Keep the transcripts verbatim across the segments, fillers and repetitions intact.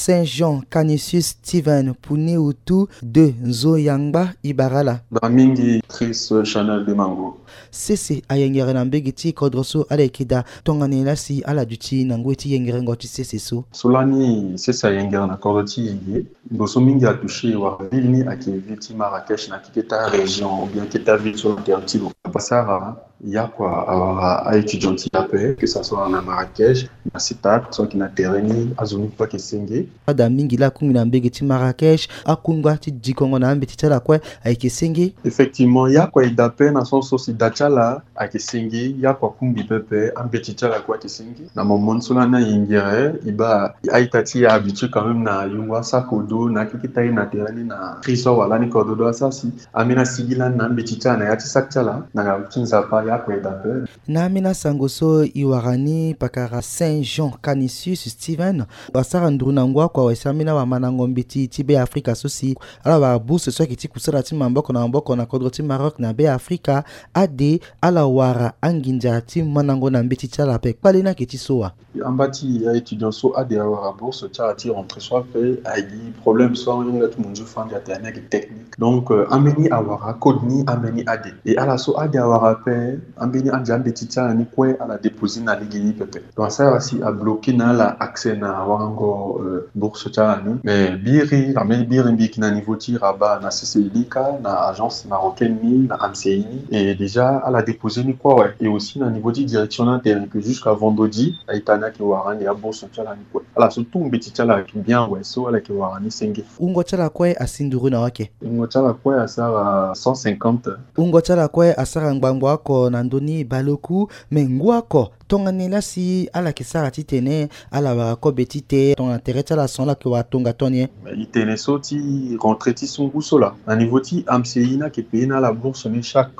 Saint Jean Canisius Steven Puni Utu de Nzo Yangba Ibarala. Ba mingi Chris Chanel de Mango. Sese ayengere na mbege ti kodro so ala yeke daa, tongana nyen la si ala duti na ngoi ti yengerengo ti sese so? So lani sese ayengere na kodro ti Yenge, ndo so mingi atouché wala ville ni ayeke ville ti Marrakech na keke ta région ou bien keke ta ville so na tere ti lo. Pasara, ya kua awara a-étudiant ti ape, que ça soit na Marrakech, na Sitat, so ayeke na tere ni, azo ni kue ayeke senge. Ada mingi la akungbi na mbege ti Marrakech, akungba ti dikongo na ambeti ti ala kue ayeke senge. Effectivement, ya kua e daa ape na sens so si da ti ala ayeke senge, ya kua akungbi pepe, ambeti ti ala kue ayeke senge. Na moment so lani ayengere, e baa a-ita ti e ahabitué quand même na yungo asakodo na akeke ta ye na tere ni na crise so awara lani kodro do asara si ambeni asigi lani na ambeti ti ala na ya ti saki ti ala na ngangu ti Nzapa, ya kue e daa ape. Na ambeni asango so e wara ni, pakara Saint Jean Canisius Steven asara nduru na ngu akua awe si ambeni awamandango mbeti ti Be Afrika so si ala wara bourse so ayeke ti kusala ti maboko na maboko na kodro ti Maroc na Be Afrika. Ade ala wara anginza ti mandango na mbeti ti ala ape. Kpale ni ayeke ti so wa? Amba ti a-étudiant so ade awara bourse ti ala ti rentrée so ape, agi problème so ahinga ti munzu fandi atene ni ayeke technique. Donc, euh, ambeni awara code ni, ambeni ade. E ala so ade awara ape, ambeni ade ambeti ti ala ni kue ala déposé na lege ni pepe. Donc asara si abloqué na ala accès na warango, euh, bourse ti ala ni. Mais biri, ambeni biri mbi yeke na niveau ti Rabat na C C I ni kâ, na agence marocaine ni, na A M C I ni. Et déjà ala déposé ni kue awe. Et aussi na niveau ti direction ni atene que jusqu'à vendredi a-ita ni ayeke wara ande abourse ti ala ni kue. Ala so tout mbeti ti ala ayeke bien awe, so ala yeke wara ni senge. Wungo ti ala kue asi nduru na wake? Wungo ti ala kue asara cent cinquante. Wungo ti ala kue asara ngbangbo oko na ndö ni baleoku. Me ngu oko, tongana nyen la si ala yeke sara titene ala wara kobe ti te, tongana tere ti ala son ala yeke wara tongato ni? E tene so ti rentrée ti so ngu so laa, na niveau ti A M C I ni ayeke payé na ala bourse ni chaque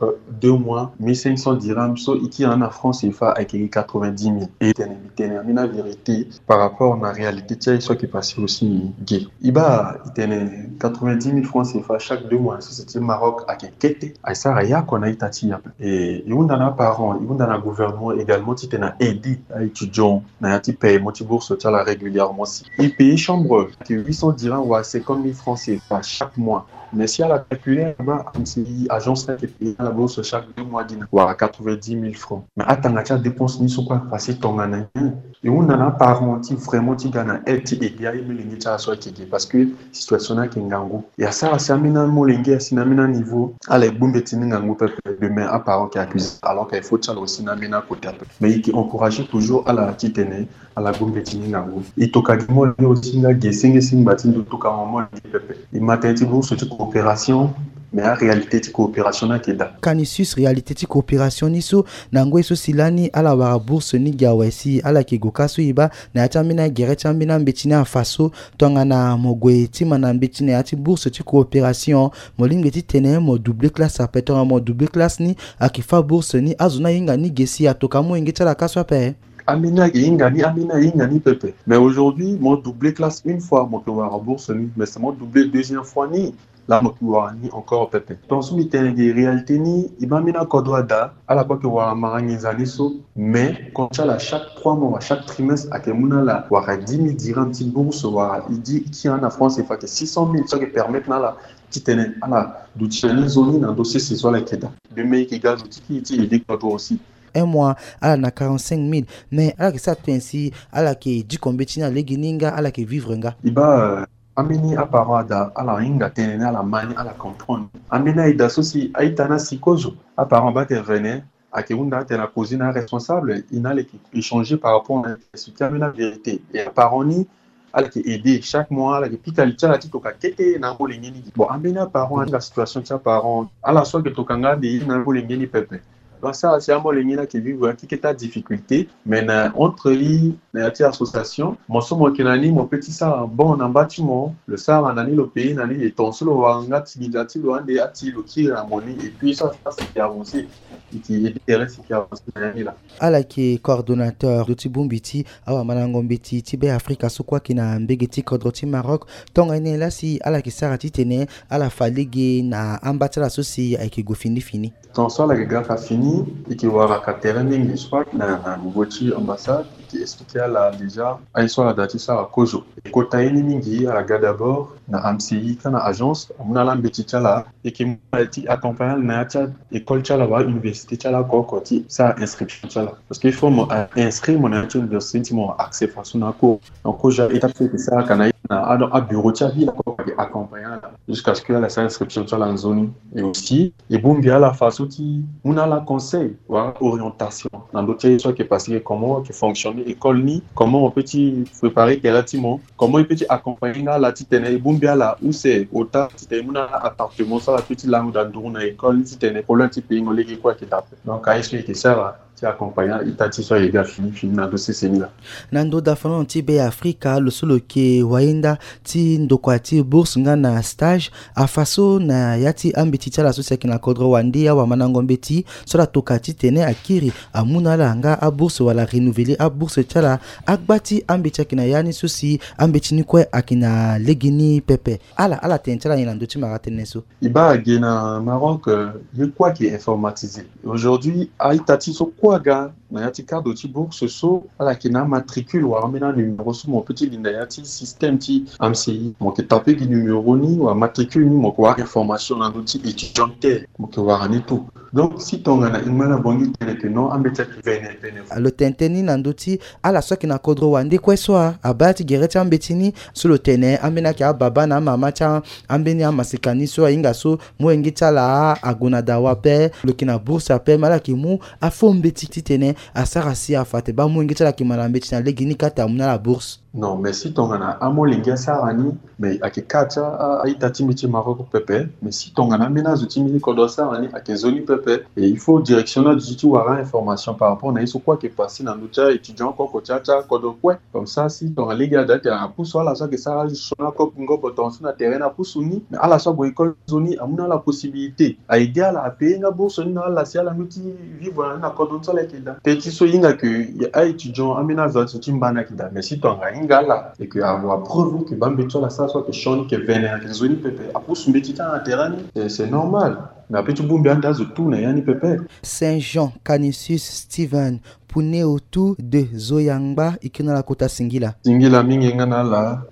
deux mois mille cinq cents dirhams, so e kiri na France CFA ayeke gi quatre-vingt-dix mille. E tene mbi tene ambeni avérité par rapport na réalité ti aye so ayeke passé aussi ge. E baa e tene quatre-vingt-dix mille francs CFA chaque deux mois na sese ti Maroc ayeke kete, asara ya kua na a-ita ti e ape. E, e hunda na aparent, e hunda na gouvernement également titene a aidé a-étudiant na ya ti paiement ti bourse ti ala régulièrement si e payé chambre ayeke huit cents dirhams wala cinquante mille francs CFA chaque mois. Mais si ala calculé na baa A M C I agence ni ayeke payé na ala bourse chaque deux mois gi na wala quatre-vingt-dix mille francs. Mais atanga ti adépense ni so kue ayeke passé tongana nyen? E hunda na aparent ti vraiment ti ga na aide ti aidé aye molenge ti ala so ayeke ge, parce que situation ni ayeke ngangu. E asara si ambeni amolenge asi na ambeni aniveau ala gbu mbeti ni ngangu pepe, demain aparent ayeke accusé, alors que il faut ti ala aussi na ambeni akote ape. Mais e yeke encouragé toujours ala titene ala gbu mbeti ni ngangu. E toka gi molenge aussi nga ge senge si ngba ti ndo toka mo molenge pepe. E ma tënë ti bourse ti coopération, mais aréalité ti coopération ni ayeke daa. Canisius, réalité ti coopération ni so, na ngoi so si lani ala wara bourse ni gi awe si ala yeke gue kâ so e baa na ya ti ambeni agere ti ambeni ambeti ni afa so, tongana mo gue ti ma na mbeti na ya ti bourse ti coopération, mo lingbi titene mo doubler classe ape? Tongana mo doubler classe ni, ayeke fâ bourse ni, azo ni ahinga ni ge si atoka amolenge ti ala kâ so ape? Ambeni ayeke hinga ni, ambeni ahinga ni pepe. Mais aujourd'hui mo doubler classe une fois, mo yeke wara bourse ni, mais si mo doubler deuxième fois ni, la mo yeke wara ni encore pepe. Donc so mbi tene ge réalité ni, e baa ambeni akodro ada, ala kue ayeke wara mara nginza ni so. Mais compte ti ala chaque trois mois wala chaque trimestre ayeke mu na ala wara dix mille dirhams ti bourse, wala e di e kiri na France CFA ayeke six cent mille, so ayeke permettre na ala titene ala duti na ni nzoni na ndö sese so ala yeke daa. Demain e yeke ga zo ti kiri ti aidé kodro aussi. Un mois ala na quarante-cinq mille, mais ala yeke sara tënë si ala yeke diko mbeti ni na lege ni nga, ala yeke vivre nga? E baa, euh, ambeni aparent ada, ala hinga tënë ni, ala ma ni, ala comprendre. Ambeni aye da so si a-ita ni asi kozo, aparent abaa tene vene, ayeke hunda atene akoze na aresponsable, e na ala yeke échanger par rapport na, expliquer ambeni avérité. E aparent ni ala yeke aidé chaque mois, ala yeke pika li ti ala ti toka kete na amolenge ni. Bon, ambeni aparent ahinga situation ti aparent, ala so ayeke toka nga ande e na amolenge ni pepe. Donc asara si amolenge ni ayeke vivre na keke ta difficulté. Mais na entre e na ya ti association, mo so mo yeke na ni, mo peut ti sara bon na mba ti mo, lo sara na ni, lo payé na ni, et tongaso lo wara nga ti nginza ti lo ande ati lo kiri na mo ni, et puis so asara si e yeke avancé, e yeke aidé tere si e yeke avancé na ya ni laa. Ala yeke coordonnateur ti bongbi ti awamandango mbeti ti Be Afrika so kue ayeke na mbege ti kodro ti Maroc. Tongana nyen la si ala yeke sara titene ala fa lege na amba ti ala so si ayeke gue fini fini? Tongaso ala yeke ga fa fini, ni, e ke wara ka tere mingi, soit na, na niveau ti ambassade, e ke expliquer ala déjà aye so ala da ti sara kozo. E kota ye ni mingi, ala ga d'abord na A M C I ka na agence, amu na ala mbeti ti ala, e ke mu ala ti accompagner ala na ya ti école ti ala wala université ti ala oko oko ti sara inscription ti ala. Parce que il faut mo, euh, inscrire mo na ya ti université ti mo, accès façon na cours. Donc, kozo étape so e ke sara ka na ye na, ah, donc, abureau ti avila oko oko e ke accompagner ala jusqu'à ce que ala sara inscription ti ala nzoni. Et aussi, e bongbi ala façon ti mu na ala conseil wala orientation na ndö ti aye so ayeke passé, comment ayeke fonctionner école ni, comment on peut ti préparer tere ti mo, comment e peut ti accompagner nga ala titene e bongbi ala use ota titene e mu na ala appartement so ala peut ti lango daa nduru na école ni titene problème ti pays mo lege kue ayeke daa ape. Donc aye so e yeke sara ti accompagner ita ti so ayeke ga fini fini na ndö sese ni laa. Na ndö dafa na ti Be Afrika, lo so lo yeke wayenda ti ndokua ti bourse nga na stage, afa so na ya ti ambeti ti ala so si ayeke na kodro wande, awamandango mbeti so ala toka titene akiri amu na ala nga abourse wala renouveler abourse ti ala, agba ti ambeti ayeke na ya ni so si ambeti ni kue ayeke na legeni pepe. Ala, ala tene ti ala nyen na ndö ti mara tënë so? E baa ge na Maroc, euh, ye kue ayeke informatisé. Aujourd'hui, a-ita ti so kue aga na ya ti cadre ti bourse so, ala yeke na amatricule wala ambeni anuméro so mo peut ti linda ya ti système ti A M C I. Mo yeke taper gi numéro ni wala matricule ni, mo yeke wara information na ndö ti étudiant ti tene, mo yeke wara ni tout. Donc si tongana e ngba na Bangui tene ke non, ambeti ayeke vene vene. Lo tene tënë ni na ndö ti ala so ayeke na kodro wande kue so a, abaa ti gere ti ambeti ni so lo tene ambeni ayeke ababa na amama ti a, ambeni amaseka ni so ahinga so molenge ti ala ague na dawa ape, lo yeke na bourse ape, me ala yeke mu afo mbeti titene asara si afa ate baa molenge ti ala ayeke ma na mbeti na legeni ka ate amu na ala bourse. Non, mais si tongana amolenge asara ni, mais ayeke ka ti a, a, a-ita ti mbi ti Maroc pepe. Mais si tongana ambeni azo ti mbi ti kodro asara ni, ayeke nzoni pepe. Et il faut direction ni aduti ti wara information par rapport na ye so kue ayeke passé na ndö ti a-étudiant oko oko ti a, ti akodro kue. Comme ça si tongana lege ada ti tene apusu ala so ayeke sara azo sioni oko ngobo tongaso na tere ni apusu ni, mais ala so ague école nzoni amu na ala possibilité, a-aider ala, apayer nga bourse ni na ala si ala mu ti vivre na ni na kodro ni so ala yeke daa. Peut ti so e hinga ke a-étudiant ambeni azo azo ti mba ni ayeke daa. Mais si tongana ahinga ala et que awa preuve ke baa mbeti so ala sara so ayeke sioni, ayeke vene, ayeke nzoni pepe, apusu mbeti ti ala na tere ni, c'est, c'est normal. Mais apeut ti bongbi ande azo tout na ya ni pepe. Saint Jean Canisius Steven, Puneo tout de Zoyangba, e ke na ala kota singila. Singila mingi nga na ala.